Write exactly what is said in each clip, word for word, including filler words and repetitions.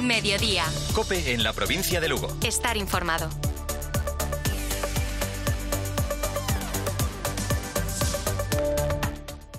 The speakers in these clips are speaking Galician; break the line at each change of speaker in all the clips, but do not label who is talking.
Mediodía.
COPE en la provincia de Lugo.
Estar informado.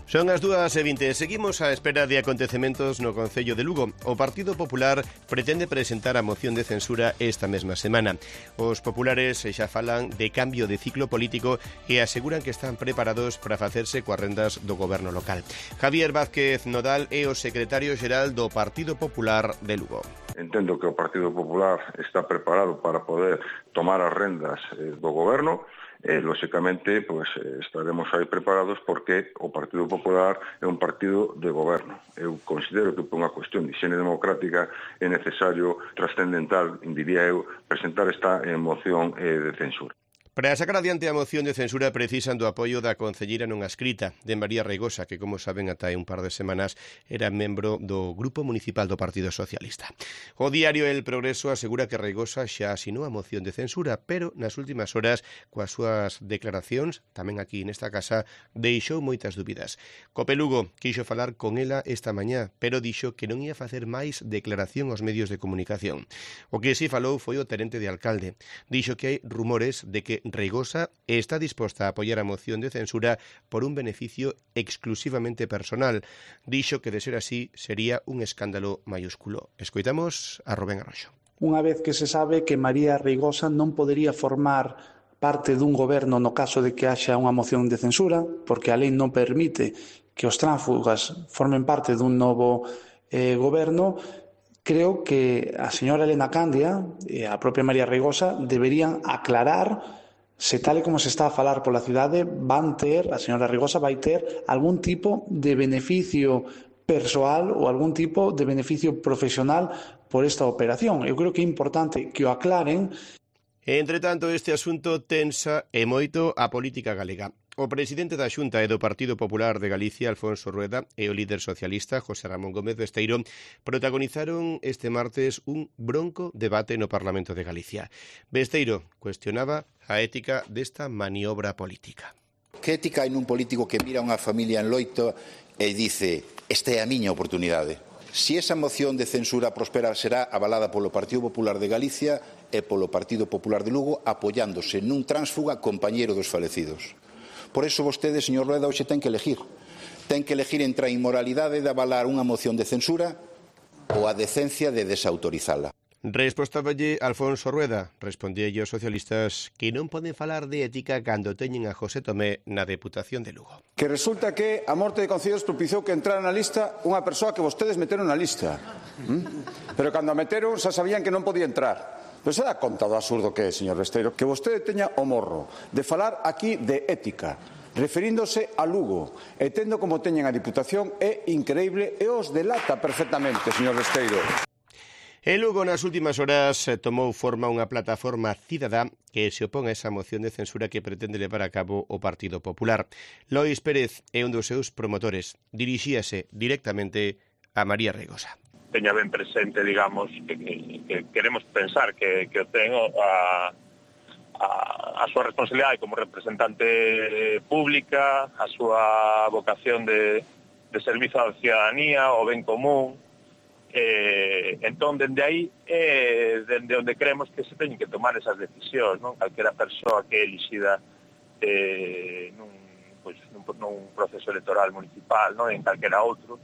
Son as dúas e vinte. Seguimos á espera de acontecementos no Concello de Lugo. O Partido Popular pretende presentar a moción de censura esta mesma semana. Os populares xa falan de cambio de ciclo político e aseguran que están preparados para facerse coas rendas do goberno local. Javier Vázquez Nodal é o secretario xeral do Partido Popular de Lugo.
Entendo que o Partido Popular está preparado para poder tomar as rendas do goberno. Eh, lóxicamente, pues, estaremos aí preparados porque o Partido Popular é un partido de goberno. Eu considero que por unha cuestión de higiene democrática é necesario, trascendental, diría eu, presentar esta eh, moción eh, de censura.
Para sacar adiante a moción de censura precisan do apoio da concelleira non adscrita de María Reigosa, que, como saben, ata hai un par de semanas era membro do Grupo Municipal do Partido Socialista. O diario El Progreso asegura que Reigosa xa asinou a moción de censura, pero nas últimas horas, coas súas declaracións, tamén aquí nesta casa, deixou moitas dúbidas. Cope Lugo quixo falar con ela esta mañá, pero dixo que non ia facer máis declaración aos medios de comunicación. O que si falou foi o tenente de alcalde. Dixo que hai rumores de que Reigosa está disposta a apoiar a moción de censura por un beneficio exclusivamente personal. Dixo que de ser así sería un escándalo mayúsculo. Escoitamos a Rubén Arroxo.
Unha vez que se sabe que María Reigosa non podería formar parte dun goberno no caso de que haxa unha moción de censura, porque a lei non permite que os tránsfugas formen parte dun novo eh, goberno, creo que a señora Elena Candia e a propia María Reigosa deberían aclarar se tal e como se está a falar pola cidade van ter, a señora Reigosa vai ter algún tipo de beneficio persoal ou algún tipo de beneficio profesional por esta operación. Eu creo que é importante que o aclaren.
Entre tanto, este asunto tensa e moito a política galega. O presidente da Xunta e do Partido Popular de Galicia, Alfonso Rueda, e o líder socialista, José Ramón Gómez Besteiro, protagonizaron este martes un bronco debate no Parlamento de Galicia. Besteiro cuestionaba a ética desta maniobra política.
Que ética hai nun político que mira unha familia en loito e dice esta é a miña oportunidade? Si esa moción de censura prospera será avalada polo Partido Popular de Galicia e polo Partido Popular de Lugo apoiándose nun tránsfuga compañeiro dos falecidos. Por iso vostede, señor Rueda, hoxe ten que elegir. Ten que elegir entre a inmoralidade de avalar unha moción de censura ou a decencia de desautorizala.
Respostáballe Alfonso Rueda, respondíalle aos socialistas que non poden falar de ética cando teñen a José Tomé na Deputación de Lugo.
Que resulta que a morte de Concellos propiciou que entrara na lista unha persoa que vostedes meteron na lista. ¿Mm? Pero cando a meteron xa sabían que non podía entrar. Pero se dá conta do absurdo que é, señor Besteiro, que vostede teña o morro de falar aquí de ética, referíndose a Lugo, e tendo como teñen a Diputación, é increíble e os delata perfectamente, señor Besteiro.
En Lugo, nas últimas horas, tomou forma unha plataforma cidadá que se opón a esa moción de censura que pretende levar a cabo o Partido Popular. Lois Pérez é un dos seus promotores. Dirixíase directamente a María Reigosa.
Teña ben presente, digamos, que, que, que queremos pensar que, que o ten a, a, a súa responsabilidade como representante pública, a súa vocación de, de servizo á ciudadanía, o ben común. Eh, entón, dende aí, eh, dende onde creemos que se teñen que tomar esas decisións, non? Calquera persoa que é elixida eh, nun, pois, nun, nun proceso electoral municipal, non? En calquera outro,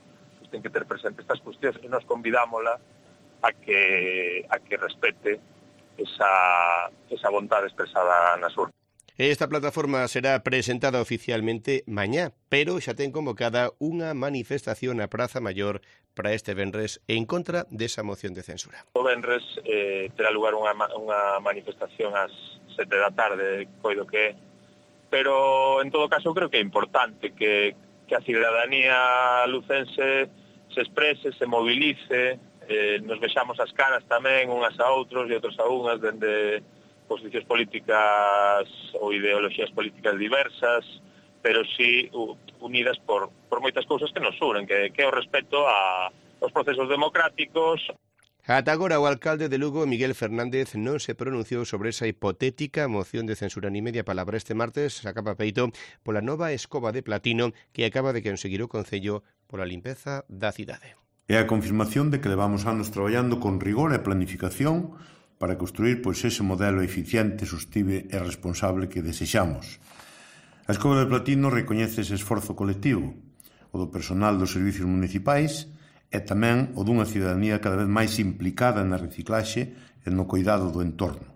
ten que ter presente estas cuestións e nos convidámola a que a que respete esa, esa vontade expresada nas urnas.
Esta plataforma será presentada oficialmente mañá, pero xa ten convocada unha manifestación na Praza Maior para este venres en contra desa moción de censura.
O venres eh, terá lugar unha, unha manifestación ás sete da tarde, coido que é, pero en todo caso creo que é importante que, que a ciudadanía lucense se exprese, se movilice, eh, nos vexamos as caras tamén unhas a outros e outros a unhas dende posicións políticas ou ideoloxías políticas diversas, pero sí unidas por, por moitas cousas que nos unen, que, que é o respeto a, aos procesos democráticos.
Ata agora o alcalde de Lugo, Miguel Fernández, non se pronunciou sobre esa hipotética moción de censura ni media palabra. Este martes sacaba peito pola nova escoba de platino que acaba de conseguir o Concello pola limpeza da cidade.
É a confirmación de que levamos anos traballando con rigor e planificación para construir pois, ese modelo eficiente, sostible e responsable que desexamos. A Escoba de Platino recoñece ese esforzo colectivo, o do personal dos servicios municipais e tamén o dunha ciudadanía cada vez máis implicada na reciclaxe e no cuidado do entorno.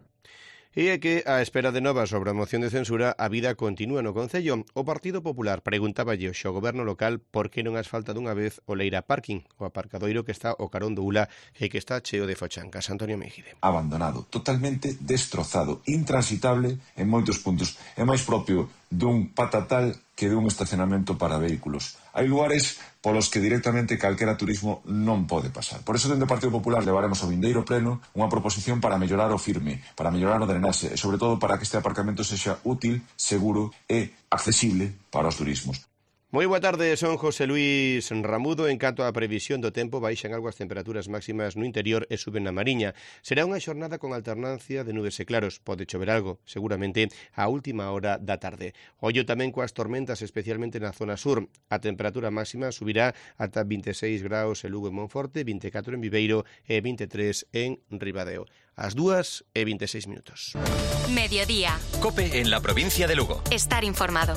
E é que, á espera de novas sobre a moción de censura, a vida continúa no Concello. O Partido Popular preguntáballe ao Goberno local por que non asfalta dunha vez o Leira Parking, o aparcadoiro que está ao carón do Ula e que está cheo de fochancas. Antonio Mejide.
Abandonado, totalmente destrozado, intransitable en moitos puntos. É máis propio dun patatal que dun estacionamento para vehículos. Hai lugares polos que directamente calquera turismo non pode pasar. Por eso, dentro do Partido Popular, levaremos ao vindeiro pleno unha proposición para mellorar o firme, para mellorar o drenaxe e, sobre todo, para que este aparcamento sexa útil, seguro e accesible para os turismos.
Moi boa tarde, son José Luis Ramudo. En canto á previsión do tempo, baixan algo as temperaturas máximas no interior e suben na Mariña. Será unha xornada con alternancia de nubes e claros. Pode chover algo, seguramente, a última hora da tarde. Ollo tamén coas tormentas, especialmente na zona sur. A temperatura máxima subirá ata vinte e seis graus en Lugo e Monforte, vinte e catro en Viveiro e vinte e tres en Ribadeo. As dúas e vinte e seis minutos.
Mediodía.
COPE en la provincia de Lugo.
Estar informado.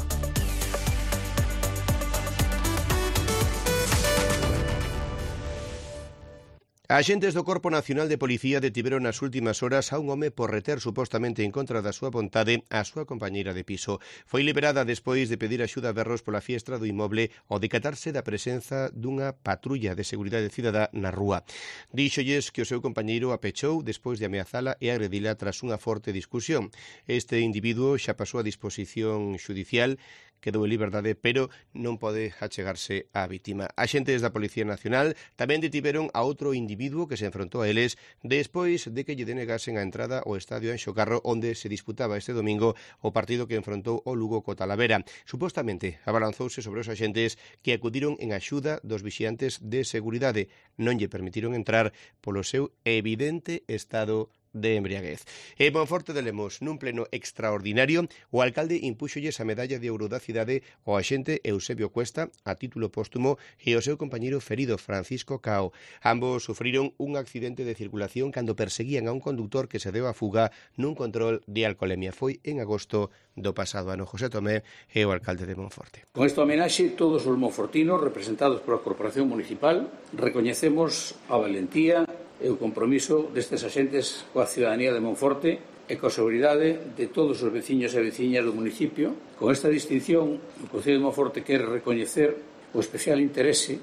Axentes do Corpo Nacional de Policía detiveron nas últimas horas a un home por reter supostamente en contra da súa vontade a súa compañeira de piso. Foi liberada despois de pedir axuda a berros pola fiestra do inmoble ao decatarse da presenza dunha patrulla de seguridade cidadá na rúa. Díxolles que o seu compañeiro a pechou despois de ameazala e agredila tras unha forte discusión. Este individuo xa pasou a disposición xudicial, quedou en liberdade, pero non pode achegarse á vítima. Axentes da Policía Nacional tamén detiveron a outro individuo que se enfrontou a eles despois de que lle denegasen a entrada ao estadio Anxo Carro, onde se disputaba este domingo o partido que enfrontou o Lugo co Talavera. Supostamente abalanzouse sobre os axentes que acudiron en axuda dos vixiantes de seguridade. Non lle permitiron entrar polo seu evidente estado de embriaguez. En Monforte de Lemos, nun pleno extraordinario, o alcalde impúxolles a medalla de ouro da cidade ao axente Eusebio Cuesta a título póstumo e ao seu compañeiro ferido Francisco Cao. Ambos sufriron un accidente de circulación cando perseguían a un conductor que se deu a fuga nun control de alcolemia. Foi en agosto do pasado ano. José Tomé é o alcalde de Monforte.
Con esta homenaxe, todos os monfortinos representados pola Corporación Municipal recoñecemos a valentía e o compromiso destes axentes coa ciudadanía de Monforte e coa seguridade de todos os veciños e veciñas do municipio. Con esta distinción, o Concello de Monforte quere recoñecer o especial interese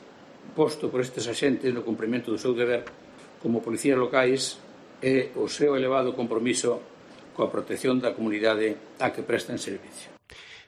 posto por estes axentes no cumprimento do seu deber como policías locais e o seu elevado compromiso coa protección da comunidade a que prestan servicio.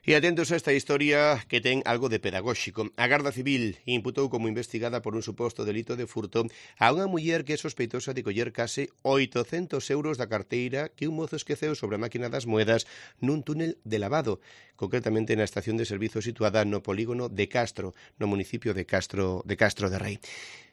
E atentos a esta historia que ten algo de pedagóxico. A Garda Civil imputou como investigada por un suposto delito de furto a unha muller que é sospeitosa de coller case oitocentos euros da carteira que un mozo esqueceu sobre a máquina das moedas nun túnel de lavado, concretamente na estación de servizo situada no polígono de Castro, no municipio de Castro de, Castro de Rei.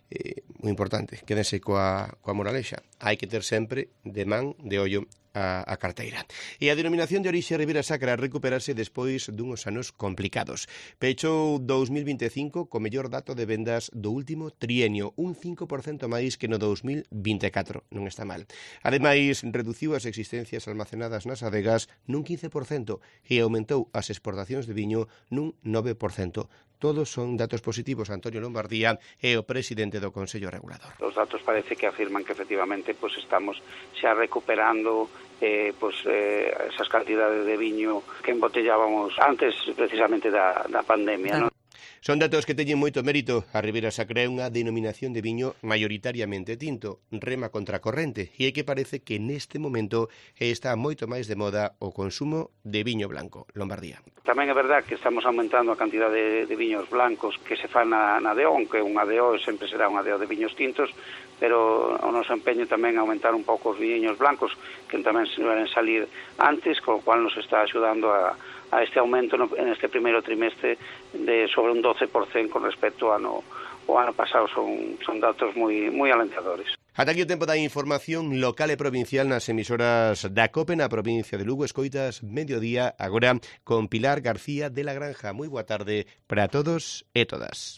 Eh, moi importante, quédense coa, coa moralexa. Hai que ter sempre de man de ollo a, a carteira. E a denominación de orixe Ribeira Sacra recuperase despois dunhos anos complicados. Pechou dous mil vinte e cinco co mellor dato de vendas do último trienio, un cinco por cento máis que no dous mil vinte e catro. Non está mal. Ademais, reduciu as existencias almacenadas nas adegas nun quince por cento e aumentou as exportacións de viño nun nove por cento. Todos son datos positivos. Antonio Lombardía é o presidente do Consello Regulador.
Os datos parece que afirman que efectivamente pues, estamos xa recuperando eh, pues, eh, esas cantidades de viño que embotellábamos antes precisamente da, da pandemia, ¿no?
Son datos que teñen moito mérito. A Ribeira Sacra é unha denominación de viño maioritariamente tinto, rema contracorrente, e é que parece que neste momento está moito máis de moda o consumo de viño blanco. Lombardía.
Tamén é verdad que estamos aumentando a cantidad de, de viños blancos que se fan na, na D O, aunque unha D O sempre será unha D O de viños tintos, pero o noso empeño tamén é aumentar un pouco os viños blancos, que tamén se van salir antes, co cual nos está axudando a a este aumento no, en este primeiro trimestre de sobre un doce por cento con respecto ao ano, o ano pasado. Son, son datos moi, moi alentadores.
Ata aquí o tempo da información local e provincial nas emisoras da COPE na provincia de Lugo. Escoitas Mediodía agora con Pilar García de la Granja. Moi boa tarde para todos e todas.